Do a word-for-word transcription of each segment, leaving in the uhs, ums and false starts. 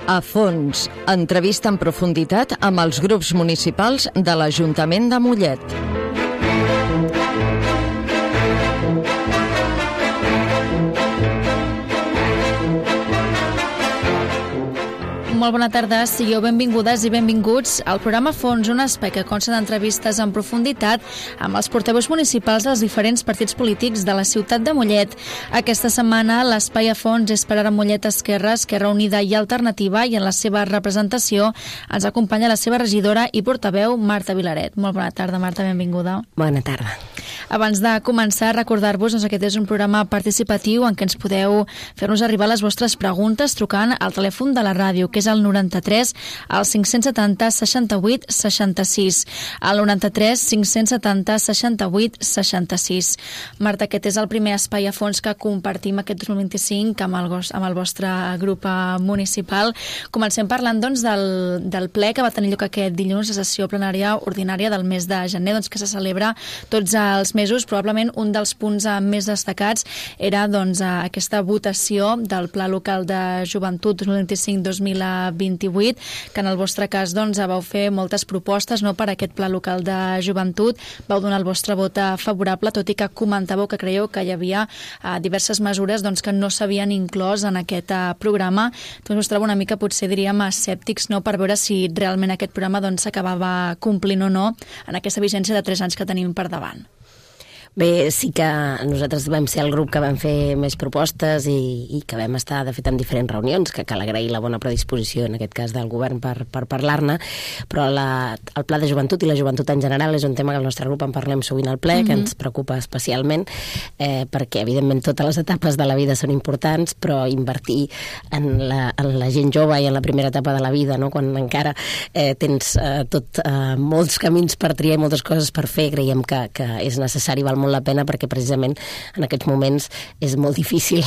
A fons, entrevista en profunditat amb els grups municipals de l'Ajuntament de Mollet. Molt bona tarda, sigueu benvingudes i benvinguts al programa Fons, un espai que consta d'entrevistes en profunditat amb els portaveus municipals dels diferents partits polítics de la ciutat de Mollet. Aquesta setmana l'espai a fons és per ara Mollet Esquerra, Esquerra Unida i Alternativa, i en la seva representació ens acompanya la seva regidora i portaveu Marta Vilaret. Molt bona tarda, Marta, benvinguda. Bona tarda. Abans de començar, recordar-vos doncs, que aquest és un programa participatiu en què ens podeu fer-nos arribar les vostres preguntes trucant al telèfon de la ràdio, que és el noranta-tres, al cinc-cents setanta, seixanta-vuit, seixanta-sis. Al noranta-tres, cinc-cents setanta, seixanta-vuit, seixanta-sis. Marta, aquest és el primer espai a fons que compartim aquest dos mil vint-i-cinc amb el, amb el vostre grup municipal. Comencem parlant doncs, del, del ple que va tenir lloc aquest dilluns, la sessió plenària ordinària del mes de gener, doncs, que se celebra tots els mesos. Probablement un dels punts més destacats era doncs, aquesta votació del Pla Local de Joventut dos mil vint-i-cinc dos mil vint-i-vuit, que en el vostre cas doncs, vau fer moltes propostes no, per a aquest Pla Local de Joventut. Vau donar el vostre vot favorable, tot i que comentàveu que creieu que hi havia uh, diverses mesures doncs, que no s'havien inclòs en aquest uh, programa. Doncs us trobo una mica, potser diríem, escèptics no, per veure si realment aquest programa doncs, s'acabava complint o no en aquesta vigència de tres anys que tenim per davant. Bé, sí que nosaltres vam ser el grup que vam fer més propostes i, i que vam estar, de fet, en diferents reunions, que cal agrair la bona predisposició, en aquest cas, del govern per, per parlar-ne, però la, el Pla de Joventut i la joventut en general és un tema que el nostre grup en parlem sovint al ple, mm-hmm. que ens preocupa especialment, eh, perquè, evidentment, totes les etapes de la vida són importants, però invertir en la, en la gent jove i en la primera etapa de la vida, no? Quan encara eh, tens eh, tot, eh, molts camins per triar i moltes coses per fer, creiem que, que és necessari, val molt la pena, perquè precisament en aquests moments és molt difícil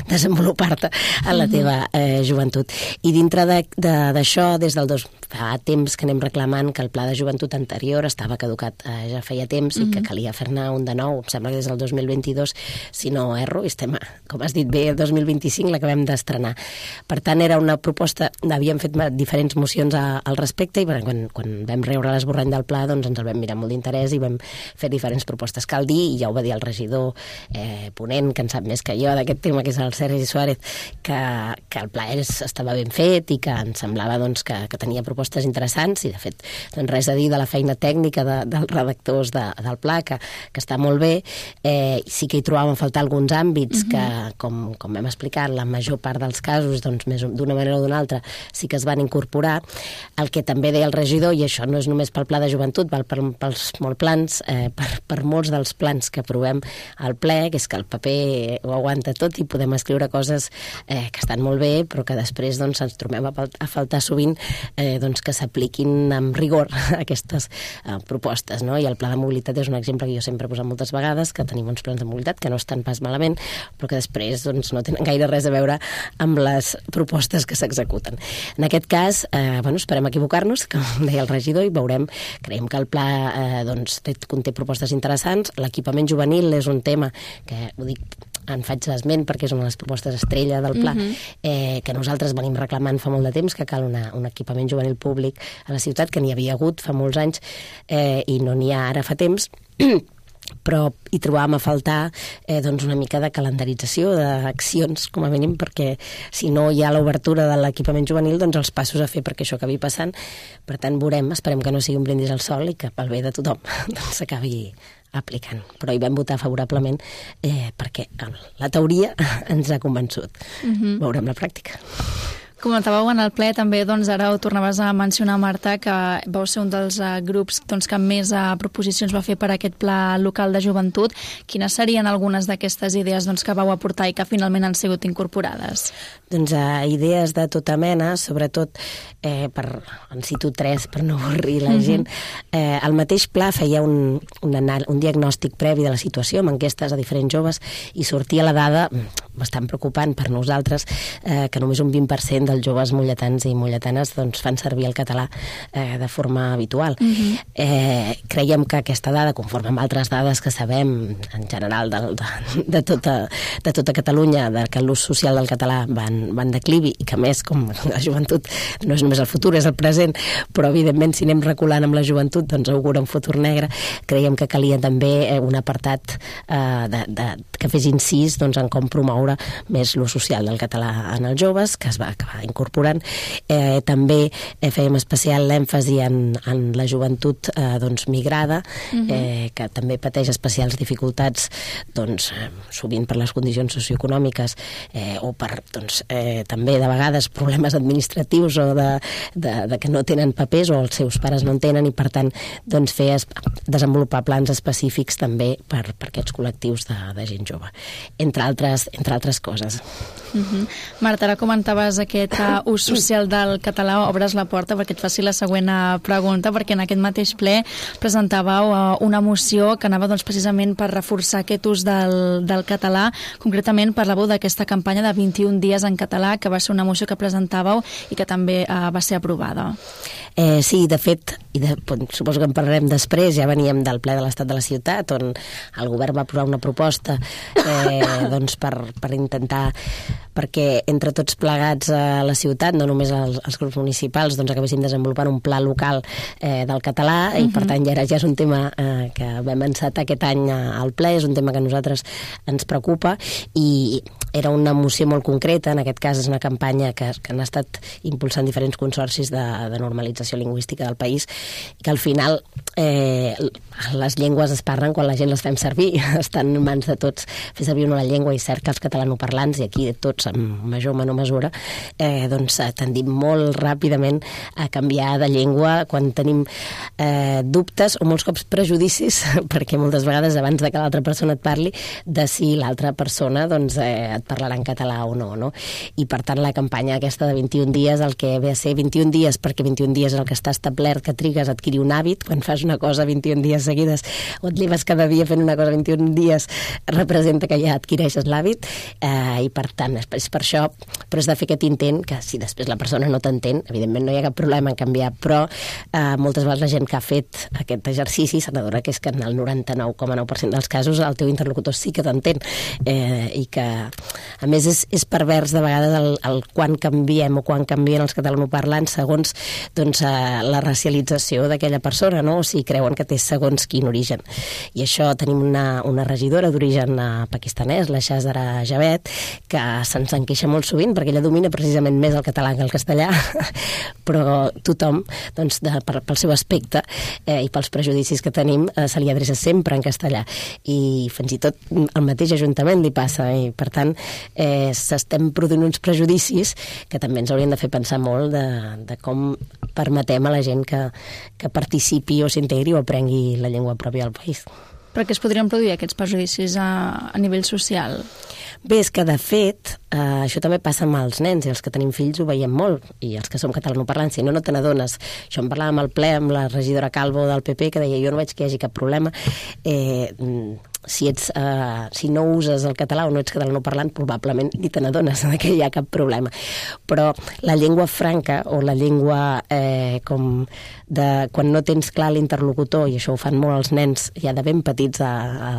desenvolupar-te en la teva eh, joventut. I dintre d'això, de, des del dos fa temps que anem reclamant que el pla de joventut anterior estava caducat eh, ja feia temps mm-hmm. i que calia fer-ne un de nou, em sembla que des del dos mil vint-i-dos, si no erro, estem, com has dit bé, el dos mil vint-i-cinc l'acabem d'estrenar. Per tant, era una proposta, havíem fet diferents mocions a, al respecte, i quan, quan vam rebre l'esborrany del pla, doncs ens el vam mirar molt d'interès i vam fer diferents propostes. Cal dir, i ja ho va dir el regidor eh, ponent, que en sap més que jo d'aquest tema, que és el Sergi Suárez, que, que el pla és, estava ben fet i que ens semblava doncs, que, que tenia propostes interessants, i de fet doncs, res a dir de la feina tècnica de, dels redactors de, del pla, que, que està molt bé. Eh, sí que hi trobàvem a faltar alguns àmbits mm-hmm. que, com, com hem explicat, la major part dels casos, doncs, més d'una manera o d'una altra, sí que es van incorporar. El que també deia el regidor, i això no és només pel pla de joventut, val per, pels molts plans, eh, per, per molts dels plans que aprovem al ple, que és que el paper ho aguanta tot i podem escriure coses eh, que estan molt bé, però que després doncs, ens trobem a, a faltar sovint eh, doncs, que s'apliquin amb rigor aquestes eh, propostes. No? I el pla de mobilitat és un exemple que jo sempre he posat moltes vegades, que tenim uns plans de mobilitat que no estan pas malament, però que després doncs, no tenen gaire res a veure amb les propostes que s'executen. En aquest cas, eh, bueno, esperem equivocar-nos, com deia el regidor, i veurem, creiem que el pla eh, doncs, té, conté propostes interessants. L'equipament juvenil és un tema que, ho dic, en faig esment perquè és una de les propostes estrella del pla, mm-hmm. eh, que nosaltres venim reclamant fa molt de temps, que cal una, un equipament juvenil públic a la ciutat, que n'hi havia hagut fa molts anys eh, i no n'hi ha ara fa temps, però hi trobàvem a faltar eh, doncs una mica de calendarització, d'accions, com a mínim, perquè si no hi ha l'obertura de l'equipament juvenil, doncs els passos a fer perquè això acabi passant. Per tant, veurem, esperem que no sigui un brindis al sol i que pel bé de tothom doncs, s'acabi aplicant. Però hi vam votar favorablement eh, perquè la teoria ens ha convençut. Mm-hmm. Veurem la pràctica. Comentàveu en el ple també, doncs ara ho tornaves a mencionar, Marta, que vau ser un dels uh, grups doncs, que més uh, proposicions va fer per a aquest pla local de joventut. Quines serien algunes d'aquestes idees doncs, que vau aportar i que finalment han sigut incorporades? Doncs uh, idees de tota mena, sobretot eh, per, en cito tres per no avorrir la gent. Mm-hmm. Eh, el mateix pla feia un, un, anal, un diagnòstic previ de la situació amb enquestes a diferents joves i sortia la dada bastant preocupant per nosaltres, eh, que només un vint per cent dels joves molletans i molletanes doncs, fan servir el català eh, de forma habitual. Uh-huh. eh, creiem que aquesta dada, conforme amb altres dades que sabem en general de, de, de, tota, de tota Catalunya, de que l'ús social del català va en, va en declivi i que més, com la joventut no és només el futur, és el present, però evidentment si anem reculant amb la joventut doncs augura un futur negre. Creiem que calia també un apartat eh, de, de, que fes incís doncs, en com promoure més l'ús social del català en els joves, que es va acabar incorporant. Eh, també eh, fèiem especial èmfasi en, en la joventut eh, doncs, migrada, uh-huh. eh, que també pateix especials dificultats doncs, eh, sovint per les condicions socioeconòmiques eh, o per doncs, eh, també de vegades problemes administratius o de, de, de que no tenen papers o els seus pares no en tenen i per tant doncs, fer es, desenvolupar plans específics també per, per aquests col·lectius de, de gent jove, entre altres, entre altres coses. Uh-huh. Marta, ara comentaves aquest uh, ús social del català, obres la porta perquè et faci la següent uh, pregunta, perquè en aquest mateix ple presentàveu uh, una moció que anava doncs, precisament per reforçar aquest ús del, del català. Concretament parlàveu d'aquesta campanya de vint-i-un dies en català, que va ser una moció que presentàveu i que també uh, va ser aprovada. Eh, sí, de fet, i de, suposo que en parlarem després, ja veníem del ple de l'Estat de la Ciutat, on el govern va aprovar una proposta eh, doncs per, per intentar perquè entre tots plegats a la ciutat, no només els, els grups municipals, doncs acabéssim desenvolupant un pla local eh, del català, uh-huh. i per tant ja, era, ja és un tema eh, que vam encetar aquest any al ple, és un tema que a nosaltres ens preocupa, i era una moció molt concreta, en aquest cas és una campanya que, que han estat impulsant diferents consorcis de, de normalització lingüística del país, que al final eh, les llengües es parlen quan la gent les fem servir, estan en mans de tots fer servir una llengua, i cert que els catalanoparlants, i aquí tots en major o menor mesura, eh, doncs tendim molt ràpidament a canviar de llengua quan tenim eh, dubtes o molts cops prejudicis, perquè moltes vegades abans de que l'altra persona et parli, de si l'altra persona doncs, eh, et parlarà en català o no, no? I per tant la campanya aquesta de vint-i-un dies, el que ve a ser vint-i-un dies, perquè vint-i-un dies és el que està establert que trigues a adquirir un hàbit, quan fas una cosa vint-i-un dies seguides o et lleves cada dia fent una cosa vint-i-un dies, representa que ja adquireixes l'hàbit, eh, i per tant és per això, però és de fer aquest intent que si després la persona no t'entén, evidentment no hi ha cap problema en canviar, però eh, moltes vegades la gent que ha fet aquest exercici se n'adona que és que en el noranta-nou coma nou per cent dels casos el teu interlocutor sí que t'entén, eh, i que a més és, és pervers de vegades el, el quan canviem o quan canvien els catalanoparlants segons doncs, eh, la racialització d'aquella persona, no? O si creuen que té segons quin origen. I això tenim una, una regidora d'origen eh, pakistanès, la Shazara Javed, que se'ns en queixa molt sovint perquè ella domina precisament més el català que el castellà, però tothom doncs, de, per, pel seu aspecte eh, i pels prejudicis que tenim eh, se li adreça sempre en castellà, i fins i tot al mateix ajuntament li passa, i per tant eh, s'estem produint uns prejudicis que també ens haurien de fer pensar molt de, de com permetem a la gent que, que participi o s'integri o aprengui la llengua pròpia del país. Per què es podrien produir aquests prejudicis a, a nivell social? Bé, és que de fet eh, això també passa amb els nens, i els que tenim fills ho veiem molt, i els que som catalanoparlants, si no, no te n'adones. Això en parlàvem al ple amb la regidora Calvo del P P, que deia jo no veig que hi hagi cap problema. Eh, si, ets, eh, si no uses el català o no ets catalanoparlant, probablement ni te n'adones que hi ha cap problema. Però la llengua franca o la llengua eh, com de quan no tens clar l'interlocutor, i això ho fan molt els nens ja de ben petits a, a,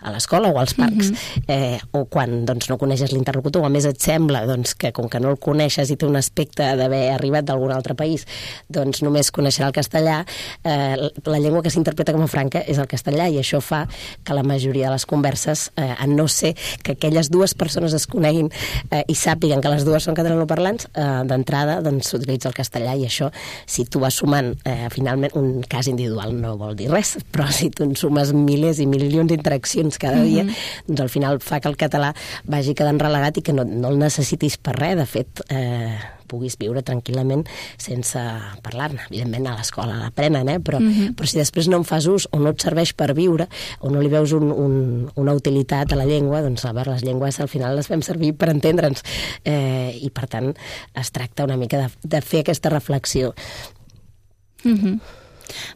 a l'escola o als parcs, mm-hmm. eh, o quan doncs, no coneixes l'interlocutor, o a més et sembla doncs, que com que no el coneixes i té un aspecte d'haver arribat d'algun altre país, doncs només coneixerà el castellà, eh, la llengua que s'interpreta com a franca és el castellà, i això fa que la majoria de les converses, eh, a no ser que aquelles dues persones es coneguin eh, i sàpiguen que les dues són catalanoparlants, eh, d'entrada doncs, s'utilitza el castellà, i això, si tu vas sumant eh, finalment, un cas individual no vol dir res, però si tu en sumes milers i milions d'interaccions cada dia, mm-hmm. doncs al final fa que el català vagi quedant relegat i que no, no el necessitis per res. De fet, eh, puguis viure tranquil·lament sense parlar-ne. Evidentment a l'escola l'aprenen, eh? però, mm-hmm. però si després no en fas ús o no et serveix per viure o no li veus un, un, una utilitat a la llengua, doncs a veure, les llengües al final les fem servir per entendre'ns, eh, i per tant es tracta una mica de, de fer aquesta reflexió. Mhm.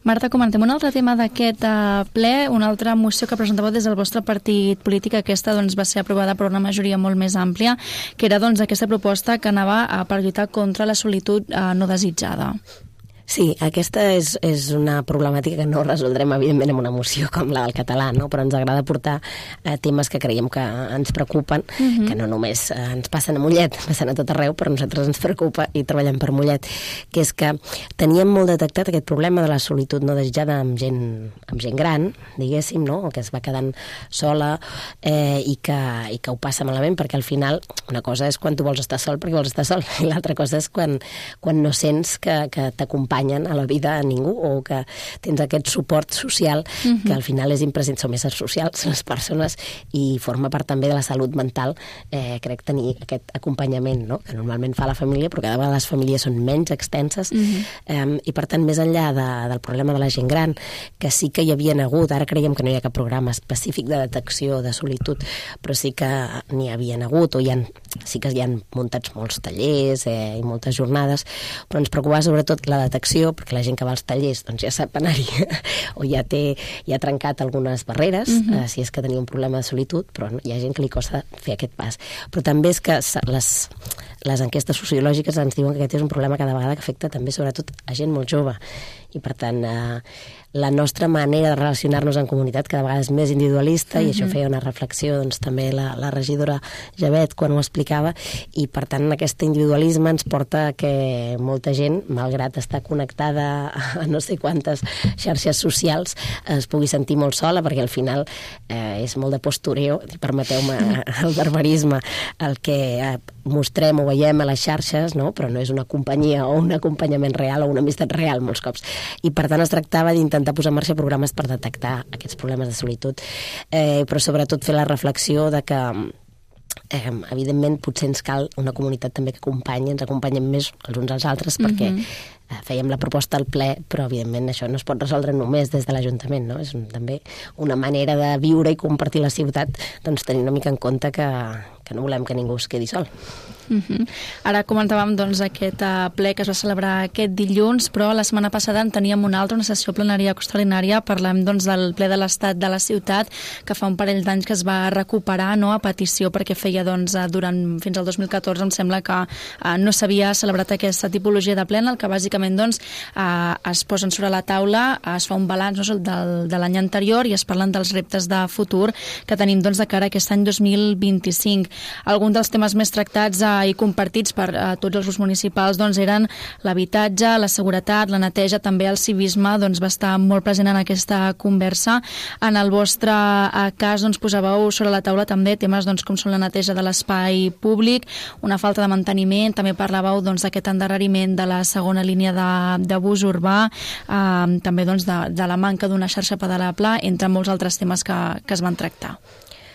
Marta, comentem un altre tema d'aquest uh, ple, una altra moció que presentava des del vostre partit polític. Aquesta doncs, va ser aprovada per una majoria molt més àmplia, que era doncs, aquesta proposta que anava uh, per lluitar contra la solitud uh, no desitjada. Sí, aquesta és, és una problemàtica que no resoldrem, evidentment, amb una moció com la del català, no? Però ens agrada portar eh, temes que creiem que ens preocupen, uh-huh. que no només eh, ens passen a Mollet, passen a tot arreu, però a nosaltres ens preocupa i treballem per Mollet, que és que teníem molt detectat aquest problema de la solitud no desitjada amb gent, amb gent gran, diguéssim, no? Que es va quedant sola eh, i, que, i que ho passa malament, perquè al final una cosa és quan tu vols estar sol perquè vols estar sol, i l'altra cosa és quan, quan no sents que, que t'acompanyen a la vida a ningú, o que tens aquest suport social uh-huh. que al final és imprescindible. Som éssers socials les persones i forma part també de la salut mental, eh, crec, tenir aquest acompanyament, no? Que normalment fa la família, però cada vegada les famílies són menys extenses uh-huh. eh, i per tant més enllà de, del problema de la gent gran, que sí que hi havia hagut, ara creiem que no hi ha cap programa específic de detecció de solitud, però sí que n'hi havia hagut, o hi ha, sí que hi ha muntats molts tallers eh, i moltes jornades, però ens preocupava sobretot la detecció, perquè la gent que va als tallers doncs ja sap anar-hi o ja té ja ha trencat algunes barreres, uh-huh. eh, si és que tenia un problema de solitud, però no, hi ha gent que li costa fer aquest pas. Però també és que les, les enquestes sociològiques ens diuen que aquest és un problema cada vegada que afecta també sobretot a gent molt jove, i per tant eh, la nostra manera de relacionar-nos en comunitat cada vegada és més individualista, uh-huh. i això feia una reflexió doncs, també la, la regidora Javet quan ho explicava, i per tant aquest individualisme ens porta a que molta gent, malgrat estar connectada a no sé quantes xarxes socials, es pugui sentir molt sola, perquè al final eh, és molt de postureo, permeteu-me el barbarisme, el que eh, mostrem o veiem a les xarxes, no? Però no és una companyia o un acompanyament real o una amistat real molts cops. I per tant es tractava d'intentar posar en marxa programes per detectar aquests problemes de solitud, eh, però sobretot fer la reflexió de que eh, evidentment potser ens cal una comunitat també que acompanyi, ens acompanyem més els uns als altres, perquè uh-huh. eh, fèiem la proposta al ple, però evidentment això no es pot resoldre només des de l'Ajuntament, no? És un, també una manera de viure i compartir la ciutat, doncs tenir una mica en compte que, que no volem que ningú es quedi sol. Uh-huh. Ara comentàvem doncs, aquest uh, ple que es va celebrar aquest dilluns, però la setmana passada en teníem una altra, una sessió plenària extraordinària. Parlem doncs, del ple de l'estat de la ciutat, que fa un parell d'anys que es va recuperar, no?, a petició, perquè feia doncs, durant, fins al dos mil catorze em sembla que uh, no s'havia celebrat aquesta tipologia de ple, en el que bàsicament doncs, uh, es posen sobre la taula, es fa un balanç, no?, del, de l'any anterior, i es parlen dels reptes de futur que tenim doncs, de cara a aquest any dos mil vint-i-cinc. Alguns dels temes més tractats uh, i compartits per uh, tots els grups municipals doncs, eren l'habitatge, la seguretat, la neteja, també el civisme doncs, va estar molt present en aquesta conversa. En el vostre uh, cas doncs, posàveu sobre la taula també temes doncs, com són la neteja de l'espai públic, una falta de manteniment, també parlàveu doncs, d'aquest endarreriment de la segona línia de, de bus urbà, uh, també doncs, de, de la manca d'una xarxa pedalable, entre molts altres temes que, que es van tractar.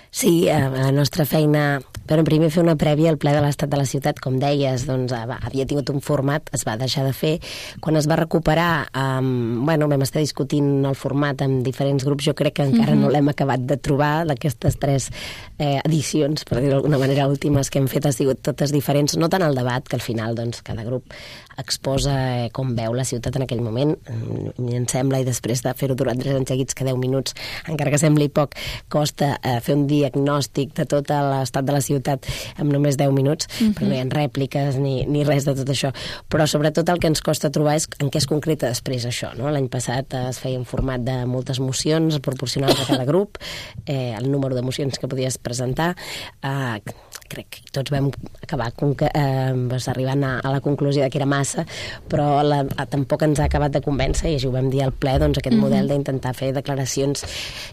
Sí, la nostra feina, però primer fer una prèvia al ple de l'estat de la ciutat, com deies, doncs havia tingut un format, es va deixar de fer. Quan es va recuperar, um, bueno, vam estar discutint el format amb diferents grups, jo crec que encara uh-huh. no l'hem acabat de trobar, d'aquestes tres eh, edicions, per dir-ho d'alguna manera, últimes que hem fet han sigut totes diferents, no tant el debat, que al final doncs, cada grup exposa eh, com veu la ciutat en aquell moment, i em sembla, i després de fer-ho durant tres anys seguits, que deu minuts, encara que sembli poc, costa eh, fer un diagnòstic de tot l'estat de la ciutat en només deu minuts, uh-huh. però no hi ha rèpliques ni, ni res de tot això. Però sobretot el que ens costa trobar és en què es concreta després això, no? L'any passat eh, es feia un format de moltes mocions proporcionals a cada grup, eh, el número de mocions que podies presentar, eh, crec que tots vam acabar eh, arribant a, a la conclusió que era massa, però la, a, tampoc ens ha acabat de convèncer, i així ho vam dir al ple, doncs aquest mm-hmm. model d'intentar fer declaracions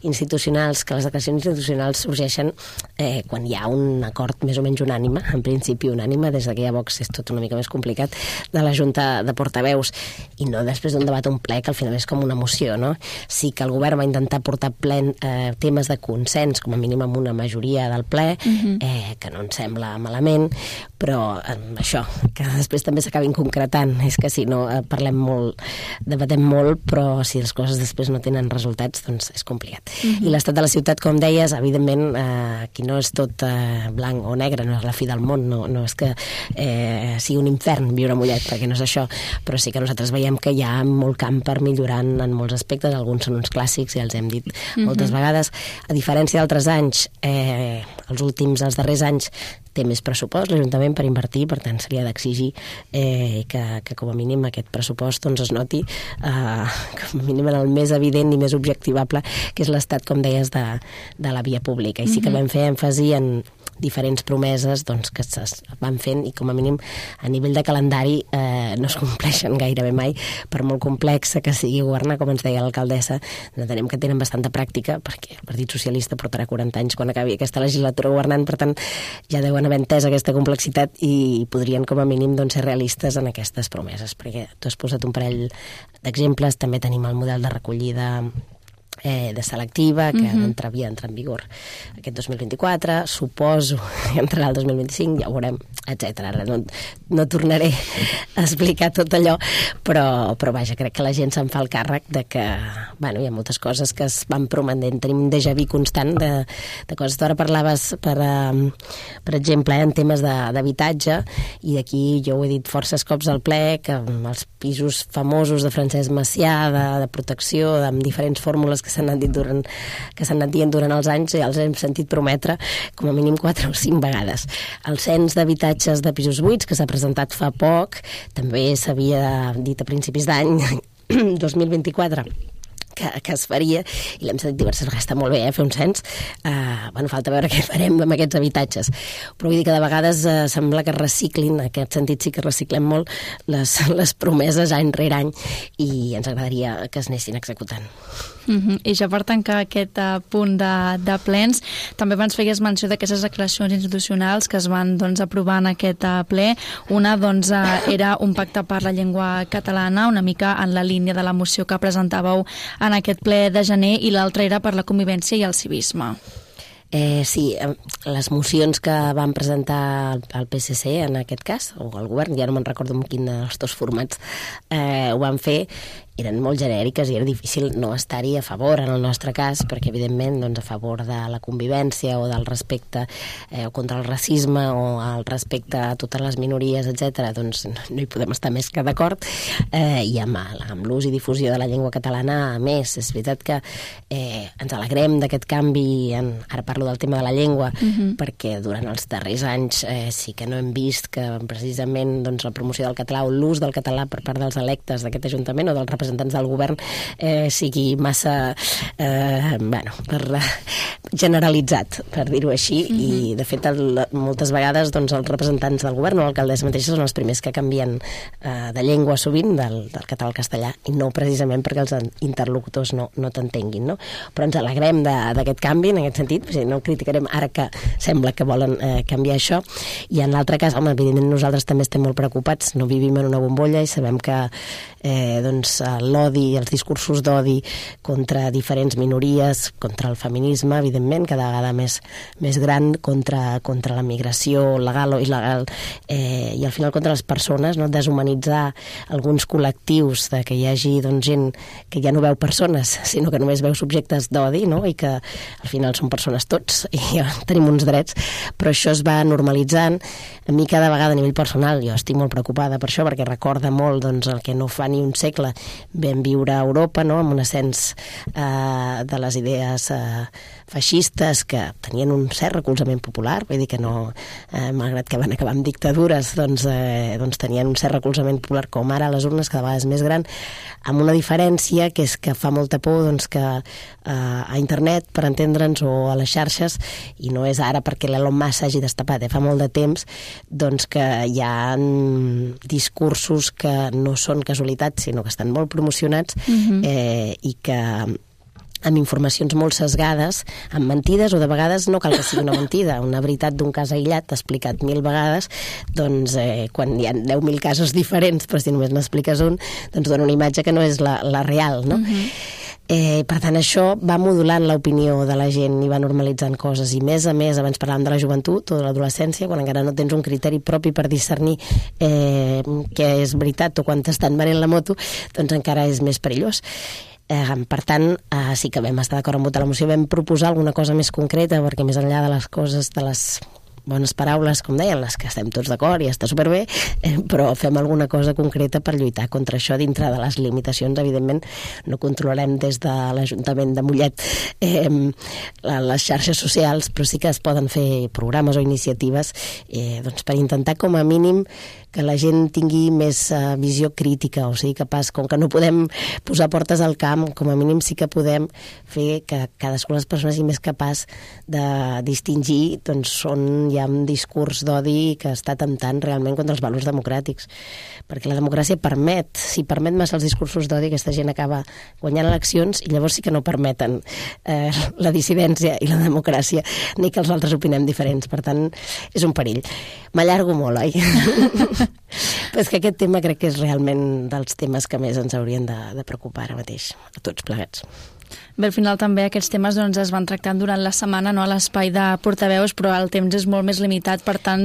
institucionals, que les declaracions institucionals sorgeixen eh, quan hi ha un acord més o menys unànime, en principi unànime, des que hi ha Vox és tot una mica més complicat, de la Junta de Portaveus, i no després d'un debat un ple que al final és com una moció, no? Sí que el govern va intentar portar plen eh, temes de consens, com a mínim amb una majoria del ple, mm-hmm. eh, que no ens sembla malament, però eh, això, que després també s'acabin concretant, és que si no eh, parlem molt, debatem molt, però si les coses després no tenen resultats, doncs és complicat. Mm-hmm. I l'estat de la ciutat, com deies, evidentment, eh, aquí no és tot eh, blanc o negre, no és la fi del món, no, no és que eh, sigui un infern viure a Mollet, perquè no és això, però sí que nosaltres veiem que hi ha molt camp per millorar en molts aspectes, alguns són uns clàssics, ja els hem dit mm-hmm. moltes vegades. A diferència d'altres anys, eh, els últims, els darrers anys, té més pressupost l'Ajuntament per invertir, per tant seria d'exigir eh, que, que com a mínim aquest pressupost doncs, es noti eh, com a mínim en el més evident i més objectivable, que és l'estat, com deies, de, de la via pública. I sí que vam fer èmfasi en diferents promeses doncs, que es van fent i com a mínim a nivell de calendari eh, no es compleixen gairebé mai, per molt complexa que sigui governar, com ens deia l'alcaldessa. Entenem que tenen bastanta pràctica, perquè el Partit Socialista portarà quaranta anys quan acabi aquesta legislatura governant, per tant ja deuen haver entès aquesta complexitat i podrien com a mínim doncs, ser realistes en aquestes promeses, perquè tu has posat un parell d'exemples. També tenim el model de recollida Eh, de selectiva, que uh-huh. entra, havia d'entrar en vigor aquest dos mil vint-i-quatre, suposo que entrarà el dos mil vint-i-cinc, ja ho veurem, etcètera. No, no tornaré a explicar tot allò, però, però vaja, crec que la gent se'n fa el càrrec de que, bueno, hi ha moltes coses que es van prometent, tenim un déjà vu constant de, de coses. Tu ara parlaves, per, um, per exemple, eh, en temes d'habitatge, i d'aquí jo ho he dit forces cops al ple, que els pisos famosos de Francesc Macià, de, de protecció, amb diferents fórmules que s'han anat dit durant, que s'han anat dient durant els anys, i els hem sentit prometre com a mínim quatre o cinc vegades. El cens d'habitatges de pisos buits, que s'ha presentat fa poc, també s'havia dit a principis d'any dos mil vint-i-quatre que, que es faria, i l'hem sentit diverses vegades. Està molt bé, eh, fer un cens. Uh, bueno, falta veure què farem amb aquests habitatges. Però vull dir que de vegades uh, sembla que reciclin, en aquest sentit sí que reciclem molt les, les promeses any rere any, i ens agradaria que es anessin executant. Uh-huh. I ja per tancar aquest uh, punt de, de plens, també abans feies menció d'aquestes declaracions institucionals que es van doncs, aprovar en aquest uh, ple. Una doncs, uh, era un pacte per la llengua catalana, una mica en la línia de la moció que presentàveu en aquest ple de gener, i l'altra era per la convivència i el civisme. Eh, sí, les mocions que van presentar el P S C en aquest cas, o el govern, ja no me'n recordo en quin dels dos formats eh, ho van fer, eren molt genèriques i era difícil no estar-hi a favor en el nostre cas, perquè evidentment doncs, a favor de la convivència o del respecte eh, o contra el racisme o el respecte a totes les minories, etcètera, doncs no hi podem estar més que d'acord, eh, i amb, amb l'ús i difusió de la llengua catalana a més. És veritat que eh, ens alegrem d'aquest canvi, en, ara parlo del tema de la llengua, uh-huh. perquè durant els darrers anys eh, sí que no hem vist que precisament doncs, la promoció del català o l'ús del català per part dels electes d'aquest Ajuntament o dels representants del govern eh, sigui massa eh, bueno, per, uh, generalitzat, per dir-ho així, mm-hmm. i de fet el, moltes vegades doncs, els representants del govern o l'alcaldessa mateixa són els primers que canvien eh, de llengua sovint, del, del català al castellà, i no precisament perquè els interlocutors no, no t'entenguin, no? Però ens alegrem d'aquest canvi en aquest sentit, no criticarem ara que sembla que volen eh, canviar això, i en l'altre cas, home, evidentment nosaltres també estem molt preocupats, no vivim en una bombolla i sabem que eh, doncs, l'odi, els discursos d'odi contra diferents minories, contra el feminisme, evidentment, cada vegada més, més gran, contra, contra la migració legal o il·legal, eh, i al final contra les persones, no? Deshumanitzar alguns col·lectius, de que hi hagi doncs, gent que ja no veu persones, sinó que només veu subjectes d'odi, no? I que al final són persones tots i ja tenim uns drets, però això es va normalitzant. A mi cada vegada a nivell personal jo estic molt preocupada per això, perquè recorda molt doncs, el que no fa ni un segle vam viure a Europa, no? Amb un ascens eh, de les idees eh, feixistes que tenien un cert recolzament popular, vull dir que no, eh, malgrat que van acabar amb dictadures, doncs, eh, doncs tenien un cert recolzament popular, com ara a les urnes cada vegada és més gran, amb una diferència que és que fa molta por doncs, que eh, a internet, per entendre'ns, o a les xarxes, i no és ara perquè l'Elon Musk s'hagi destapat, eh, fa molt de temps, doncs que hi ha discursos que no són casualitats, sinó que estan molt promocionats, uh-huh. eh, i que amb informacions molt sesgades, amb mentides, o de vegades no cal que sigui una mentida, una veritat d'un cas aïllat explicat mil vegades, doncs eh, quan hi ha deu mil casos diferents, però si només n'expliques un, doncs dona una imatge que no és la, la real, no? Uh-huh. Eh, per tant, això va modulant l'opinió de la gent i va normalitzant coses. I més a més, abans parlàvem de la joventut o de l'adolescència, quan encara no tens un criteri propi per discernir eh, què és veritat o quan t'estan venent la moto, doncs encara és més perillós. Eh, per tant, eh, sí que vam estar d'acord amb votar la moció, vam proposar alguna cosa més concreta, perquè més enllà de les coses, de les bones paraules, com deien, les que estem tots d'acord i està superbé, eh, però fem alguna cosa concreta per lluitar contra això dintre de les limitacions. Evidentment, no controlarem des de l'Ajuntament de Mollet eh, les xarxes socials, però sí que es poden fer programes o iniciatives eh, doncs per intentar, com a mínim, que la gent tingui més uh, visió crítica, o sigui, capaç, com que no podem posar portes al camp, com a mínim sí que podem fer que cadascuna de les persones sigui més capaç de distingir doncs, on hi ha un discurs d'odi que està temptant realment contra els valors democràtics. Perquè la democràcia permet, si permet massa els discursos d'odi, aquesta gent acaba guanyant eleccions i llavors sí que no permeten eh, la dissidència i la democràcia, ni que els altres opinem diferents. Per tant, és un perill. M'allargo molt, oi? Però és que aquest tema crec que és realment dels temes que més ens haurien de, de preocupar ara mateix, a tots plegats. Bé, al final també aquests temes doncs, es van tractant durant la setmana, no, a l'espai de portaveus, però el temps és molt més limitat, per tant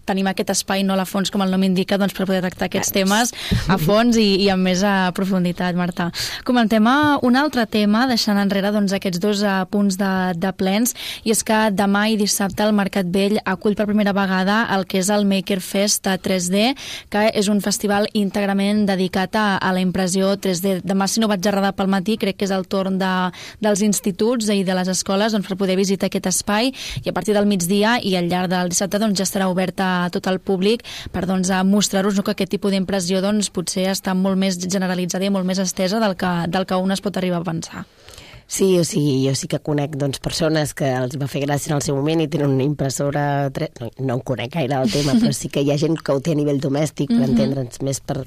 tenim aquest espai, no a fons, com el nom indica, doncs, per poder tractar aquests temes a fons i, i amb més a profunditat, Marta. Comentem un altre tema, deixant enrere doncs, aquests dos uh, punts de, de plens, i és que demà i dissabte el Mercat Vell acull per primera vegada el que és el Maker Fest tres D, que és un festival íntegrament dedicat a, a la impressió tres D. Demà, si no vaig errada pel matí, crec que és el torn de dels instituts i de les escoles doncs, per poder visitar aquest espai, i a partir del migdia i al llarg del dissabte doncs, ja estarà obert a tot el públic per doncs, mostrar-vos no, que aquest tipus d'impressió doncs, potser està molt més generalitzada i molt més estesa del que, del que un es pot arribar a pensar. Sí, o sigui, jo sí que conec doncs, persones que els va fer gràcia en el seu moment i tenen una impressora... No, no en conec gaire el tema, però sí que hi ha gent que ho té a nivell domèstic, per mm-hmm. entendre'ns, més per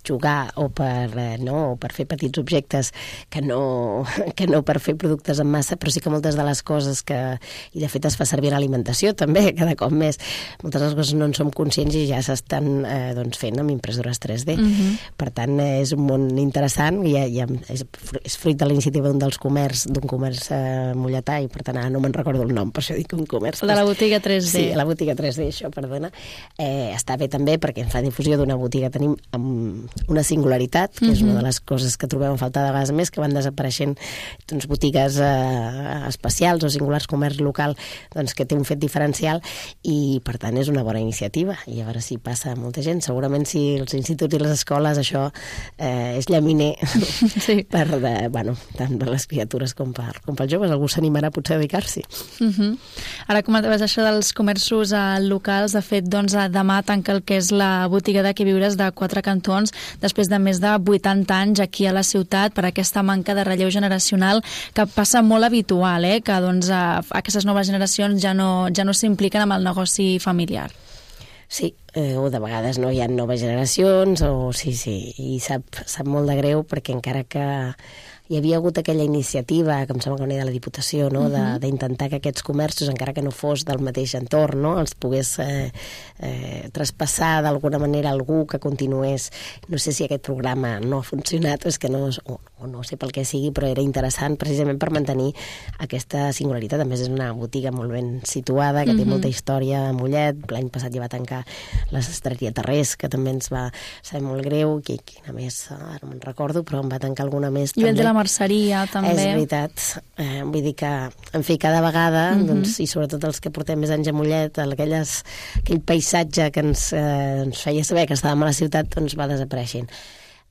jugar o per, eh, no, o per fer petits objectes que no, que no per fer productes en massa, però sí que moltes de les coses que... I de fet es fa servir en alimentació també, cada cop més. Moltes de les coses no en som conscients i ja s'estan eh, doncs, fent amb impressores tres D. Mm-hmm. Per tant, eh, és un món interessant i, i és, és fruit de la iniciativa d'un dels comerç, d'un comerç eh, molletà, i per tant ara no me'n recordo el nom, per això dic un comerç. La de la botiga tres D. Sí, la botiga tres D, això, perdona. Eh, està bé també perquè en fa difusió d'una botiga tenim amb una singularitat, que mm-hmm. és una de les coses que trobem a faltar de vegades més, que van desapareixent doncs, botigues eh, especials o singulars, comerç local, doncs, que té un fet diferencial i, per tant, és una bona iniciativa. I a veure si passa molta gent. Segurament si els instituts i les escoles això eh, és llaminer sí. per, de, bueno, tant per les criatures com per, com pels joves. Algú s'animarà potser a dedicar-s'hi. Mm-hmm. Ara comentaves això dels comerços eh, locals. De fet, doncs, demà tanca el que és la botiga de Qui Viures de Quatre Cantons, després de més de vuitanta anys aquí a la ciutat per aquesta manca de relleu generacional que passa molt habitual, eh? Que doncs, aquestes noves generacions ja no, ja no s'impliquen amb el negoci familiar. Sí, eh, o de vegades no hi ha noves generacions, o sí, sí, i sap, sap molt de greu perquè encara que hi havia hagut aquella iniciativa, que em sembla que venia de la Diputació, no? uh-huh. d'intentar que aquests comerços, encara que no fos del mateix entorn, no? els pogués eh, eh, traspassar d'alguna manera algú que continués. No sé si aquest programa no ha funcionat, o, és que no, o, o no sé pel què sigui, però era interessant precisament per mantenir aquesta singularitat. A més, és una botiga molt ben situada, que uh-huh. té molta història a Mollet. L'any passat ja va tancar la sastreria Tarrés, que també ens va ser molt greu, que, quina més, ara no me'n recordo, però em va tancar alguna més I també. Merceria, també. És veritat. Eh, vull dir que, en fi, cada vegada, uh-huh. doncs, i sobretot els que portem més anys a Mollet, aquelles, aquell paisatge que ens, eh, ens feia saber que estàvem a la ciutat, doncs va desapareixent.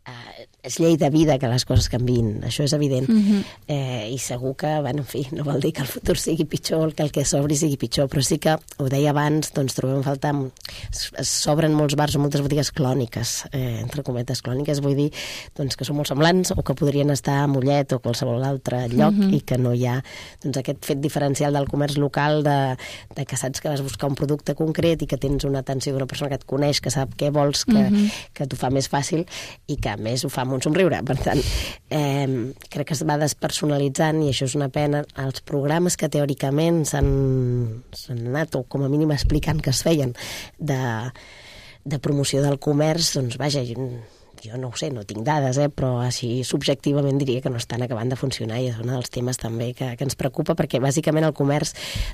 Eh, és llei de vida que les coses canviïn, això és evident. Uh-huh. eh, I segur que, bueno, en fi, no vol dir que el futur sigui pitjor, que el que s'obri sigui pitjor, però sí que, ho deia abans, doncs trobem a faltar... S'obren molts bars o moltes botigues clòniques, eh, entre cometes clòniques, vull dir doncs, que són molt semblants o que podrien estar a Mollet o qualsevol altre lloc uh-huh. i que no hi ha doncs, aquest fet diferencial del comerç local de, de que saps que vas buscar un producte concret i que tens una atenció d'una persona que et coneix, que sap què vols, que, uh-huh. que t'ho fa més fàcil i que a més ho fa amb un somriure. Per tant, eh, crec que es va despersonalitzant i això és una pena. Els programes que teòricament s'han, s'han anat, o com a mínim explicant que es feien, de, de promoció del comerç, doncs vaja, jo no ho sé, no tinc dades, eh, però així subjectivament diria que no estan acabant de funcionar, i és un dels temes també que, que ens preocupa, perquè bàsicament el comerç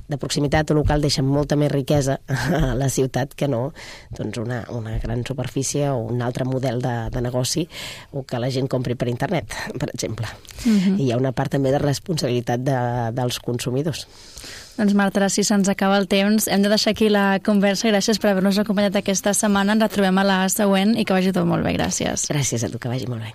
de proximitat o local deixa molta més riquesa a la ciutat que no doncs una, una gran superfície o un altre model de, de negoci, o que la gent compri per internet, per exemple. Uh-huh. I hi ha una part també de responsabilitat de, dels consumidors. Doncs Marta, si se'ns acaba el temps, hem de deixar aquí la conversa. Gràcies per haver-nos acompanyat aquesta setmana. Ens retrobem a la següent i que vagi tot molt bé. Gràcies. Gràcies a tu, que vagi molt bé.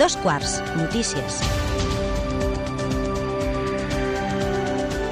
Dos quarts, notícies.